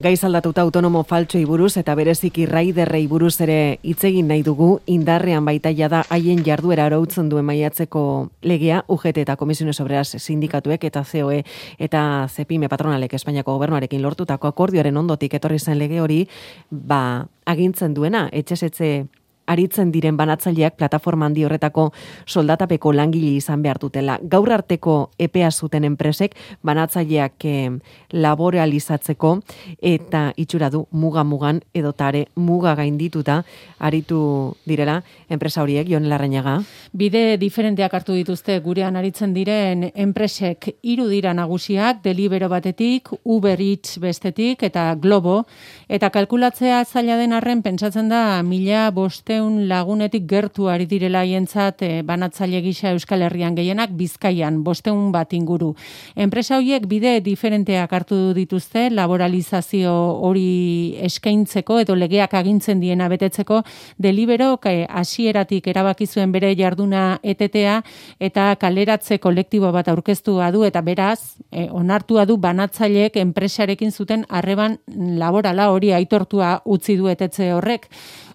Gaiz aldatuta autonomo faltsoi buruz eta bereziki raiderrei buruz ere hitz egin nahi dugu, indarrean baita jada haien jarduera arautzen duen maiatzeko legea, UGT eta Comisiones Obreras sindikatuek eta COE eta CEPIME patronalek Espainiako gobernuarekin lortutako akordioaren ondotik etorri zen lege hori, agintzen duena, etxez etxe aritzen diren banatzaileak plataforma handi horretako soldatapeko langile izan behar dutela. Gaur arteko epea zuten enpresek banatzaileak laboralizatzeko eta itxura du muga-mugan edotare muga gaindituta aritu direla enpresa horiek, Jon Larrañaga. Bide diferenteak hartu dituzte gurean aritzen diren enpresek 3 dira nagusiak, Delibero batetik, Uber Eats bestetik eta Globo, eta kalkulatzea zaila den arren pentsatzen da 1500 lagunetik gertu ari direla haientzat banatzaile gisa Euskal Herrian gehienak Bizkaian 500 bat inguru. Enpresa horiek bide diferenteak hartu dituzte laboralizazio hori eskaintzeko edo legeak agintzen diena betetzeko. Deliberok hasieratik erabaki zuen bere jarduna etetea eta kaleratze kolektibo bat aurkeztua du eta beraz onartua du banatzaileek enpresarekin zuten harreman laborala hori aitortua utzi du etetze horrek.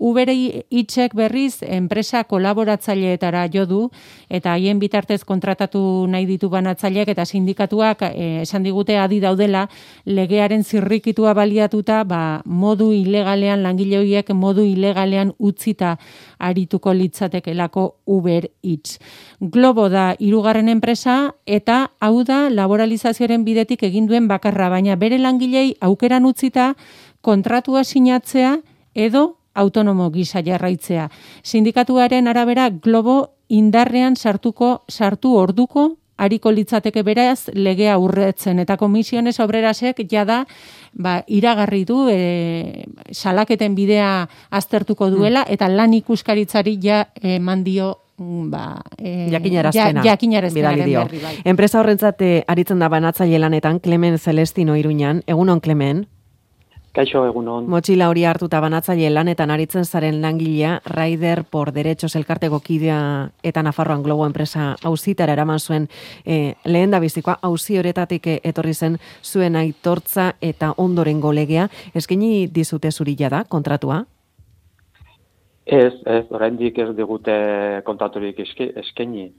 Uber Eatsek berriz enpresa kolaboratzaileetara jo du eta haien bitartez kontratatu nahi ditu banatzaileak eta sindikatuak esan digute adi daudela legearen zirrikitua baliatuta modu ilegalean langile horiek modu ilegalean utzita arituko litzatekelako Uber Eats. Globo da 3. enpresa eta hau da laboralizazioaren bidetik egin duen bakarra, baina bere langilei aukeran utzita kontratua sinatzea edo autonomo gisa jarraitzea. Sindikatuaren arabera Globo indarrean sartu orduko ariko litzateke beraz legea urretzen eta Comisiones Obrerasek jada iragarri du salaketen bidea aztertuko duela eta lan ikuskaritzari eman dio jakinarazpenaren berri bai. Enpresa horrentzat aritzen da banatzaile lanetan Clemen Celestino Iruñan. Egunon, Clemen? Kaixo, egunon. Motxila hori hartuta banatzaile lanetan aritzen zaren langilea, Raider por Derechos elkarteko kidea eta Nafarroan Globo enpresa auzitara eraman zuen lehen da bizikoa, auzi horretatik etorri zen zuen aitortza eta ondorengo legea. Eskaini dizute zuri jada kontratua? Ez, oraindik ez digute kontraturik eskaini.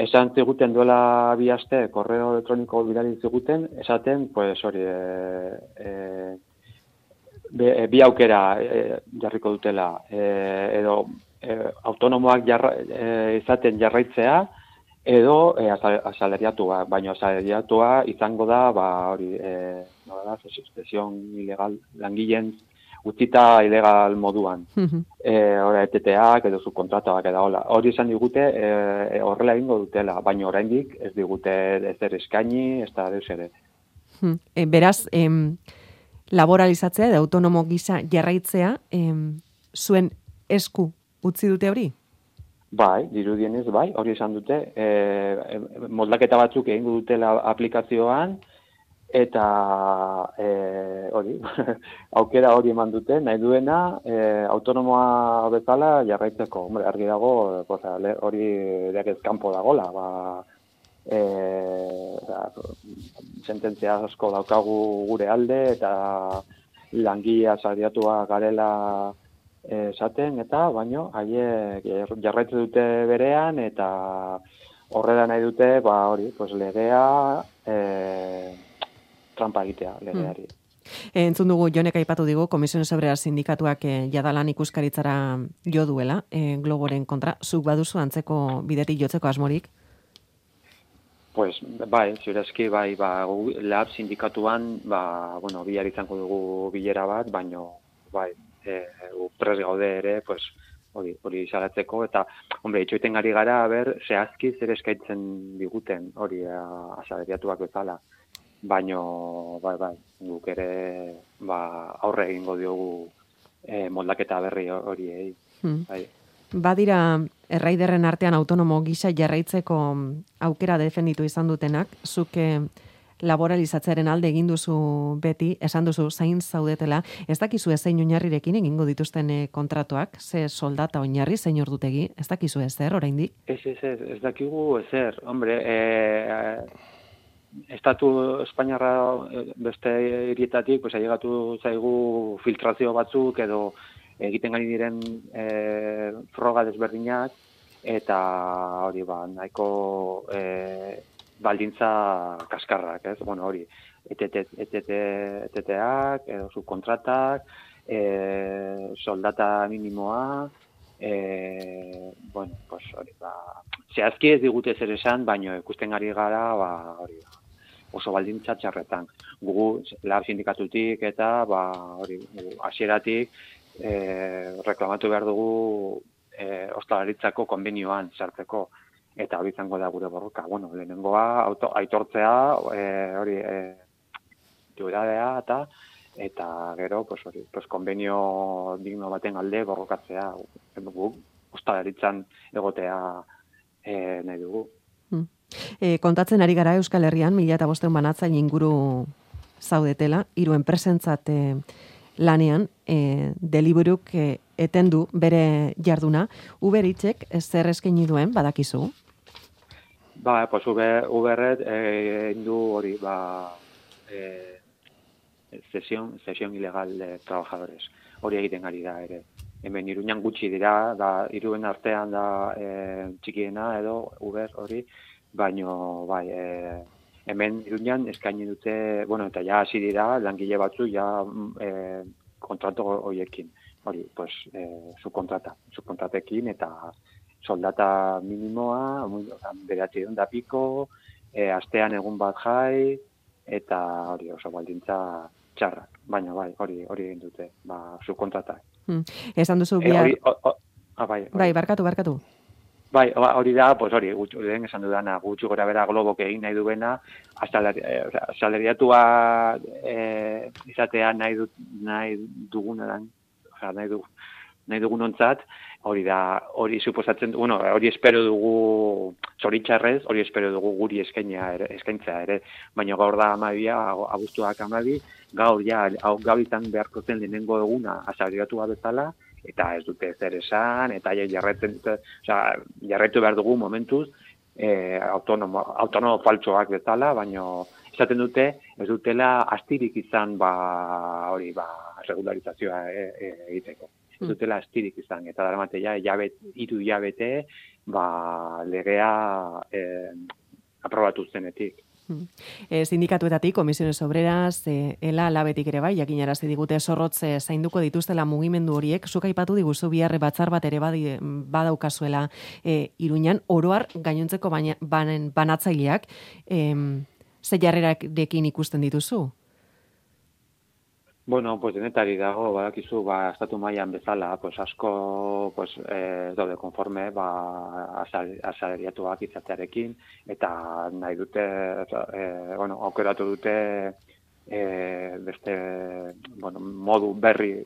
Esan ziguten duela 2 aste, korreo elektroniko bidali ziguten, esaten, pues hori, bi aukera jarriko dutela, edo autonomoak izaten jarraitzea, edo asalariatua, baina asalariatua izango da, hori, sustitución ilegal, langileen utzita ilegal moduan. Hora, ETTak edo subkontratuak edo hori esan digute horrela egingo dutela, baina oraindik ez digute ezer eskaini, ez da deus ere. Beraz, laboralizatzea edo autonomo gisa jarraitzea zuen esku utzi dute hori? Bai, dirudienez, bai, hori esan dute. Moldaketa batzuk egingo dutela aplikazioan, eta hori, aukera hori eman dute, nahi duena, autonomoa bezala jarraitzeko. Hombre, argi dago, hori deakez kanpo dagola, sententzia asko daukagu gure alde eta langile asalariatua garela esaten eta baino haiek jarraitzen dute berean eta horrela nahi dute hori, pues legea trampa egitea legeari. Entzun dugu Jonek aipatu digu Comisiones Obreras sindikatuak jadalan ikuskaritzara jo duela Globoren kontra, zuk baduzu antzeko bidetik jotzeko asmorik? Pues, bai, ziurezki, lab sindikatuan, bihar izango dugu bilera bat, baino, prest gaude ere, pues, hori salatzeko, eta, hombre, itxoiten gari gara, zehazki zer eskaintzen diguten, hori asalariatuak bezala, baino, guk ere, aurre egingo diogu moldaketa berri hori, bai. Badira Raiderren artean autonomo gisa jarraitzeko aukera defenditu izan dutenak, zuk laboralizatzearen alde egin duzu beti, esan duzu zain zaudetela, ez dakizu zein oinarrirekin egingo dituzten kontratuak, ze soldata oinarri, zein ordutegi, ez dakizu ezer oraindik? Ez dakigu ezer, hombre, Estatu Espainiarra beste hirietatik, pues ailegatu zaigu filtrazio batzuk edo egiten gari diren froga desberdinak, eta hori nahiko baldintza kaskarrak, ez? Bueno, hori, ETT-ak, edo subkontratak, soldata minimoa, bueno, pues hori, zehazki ez digute zer esan, baino ikusten ari gara, hori, oso baldintza txarretan. Gugu, lab sindikatutik eta, hori, hasieratik, reklamatu behar dugu ostalaritzako konbenioan sartzeko, eta hori izango da gure borroka. Bueno, lehenengoa, aitortzea, hori, duradea eta gero, pues hori, pues konbenio digno baten alde borrokatzea, ostalaritzan egotea nahi dugu. Kontatzen ari gara Euskal Herrian, 1500 banatzaile inguru zaudetela, 3 enpresentzat lanean, Deliveruk etendu bere jarduna. Uber Eatsek zer eskaini duen, badakizu? Pues Uberret du hori, cesión ilegal de trabajadores. Hori egiten ari da ere. Hemen Iruñan gutxi dira, Iruen artean da txikiena edo Uber hori, baino hemen Iruñan eskaini dute, bueno, eta ja hasi dira langile batzu ja kontratu horiekin. Hori, pues subkontratekin eta soldata minimoa, 900 piko, astean egun bat jai, eta hori oso baldintza txarrak, baina hori egin dute, subkontratak. Esan duzu bihar... Barkatu. Hori da, pues hori, lehen esan dudana, gutxi gora bera Globok egin nahi duena, asalariatua izatea nahi dugunean, nahi dugunontzat, hori suposatzen, bueno, hori espero dugu zoritxarrez, hori espero dugu guri eskaintzea ere, baina gaur da 12, abuztuak 12, gaur izan beharko zen lehenengo eguna asalariatua bezala, eta ez dute zer esan, eta jarraitu behar dugu momentuz, autonomo faltsoak bezala, baina esaten dute, ez dutela astirik izan regularizazioa egiteko. Ez dutela astirik izan, eta daramate ja, 3 hilabete, legea aprobatu zenetik. Sindikatuetatik, Komisiones Obreras, ELA, Labetik ere bai, jakinarazi digute zorrotze zainduko dituztela mugimendu horiek, zuk aipatu diguzu biharre batzar bat ere badaukazuela Iruñan, oroar gainontzeko banatzaileak, ze jarrerarekin ikusten dituzu? Bueno, pues denetari dago, badakizu, estatu mailan bezala, pues asko, pues daude konforme, asalariatuak izatearekin, eta nahi dute, aukeratu dute beste, modu berri,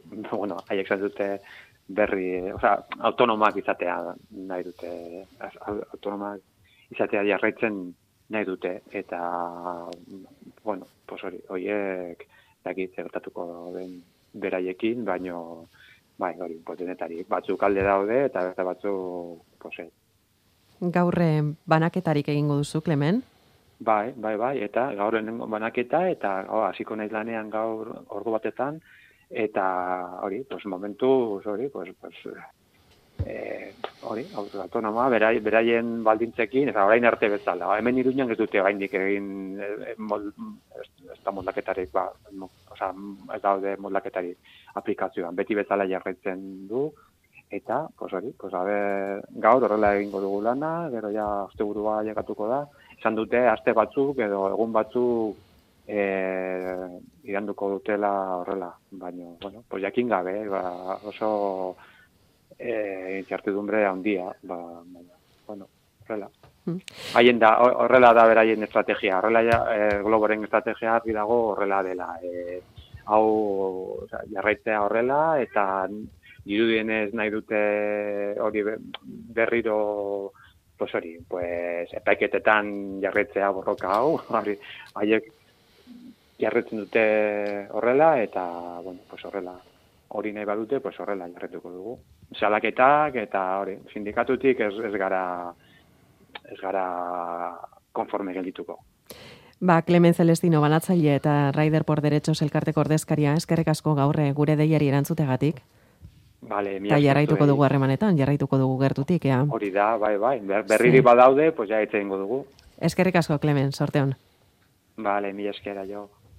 haiek zan dute berri, autonomak izatea nahi dute, autonomak izatea jarraitzen nahi dute, eta, pues horiek, dakit zertatuko den beraiekin, baino, hori, denetarik, batzuk alde daude, eta beste batzuk, Gaur banaketarik egingo duzu, Klemen? Bai, eta gaur banaketa, eta hasiko naiz lanean gaur ordu batetan, eta hori, momentuz, hori, autonomoa, beraien baldintzekin, eta orain arte bezala. Hemen Iruñan ez dute oraindik egin ez da moldaketarik, ez daude moldaketarik aplikazioan. Beti bezala jarraitzen du, eta, gaur horrela egingo dugu lana, gero ja asteburua llegatuko da. Esan dute, aste batzuk edo egun batzuk iranduko dutela horrela. Baina, jakin gabe, oso incertidumbre handia, horrela. Horrela da beraien estrategia, horrela Globoren estrategia argi dago horrela dela. Hau jarraitzea horrela, eta dirudienez nahi dute hori berriro, epaiketetan jarraitzea borroka hau, haiek jarraitzen dute horrela, eta horrela. Hori nahi badute, horrela jarretuko dugu. Salaketak eta hori, sindikatutik ez gara konforme geldituko. Clemen Celestino banatzaile eta Rider por Derechos elkarteko ordezkaria, eskerrik asko gaur gure deiari erantzutegatik. Vale, Eta jarraituko dugu harremanetan, jarraituko dugu gertutik, ea. Hori da, bai. Berriri badaude, pues ja itzengo dugu. Eskerrik asko, Clemen, sorte on. Vale, mila eskera jo.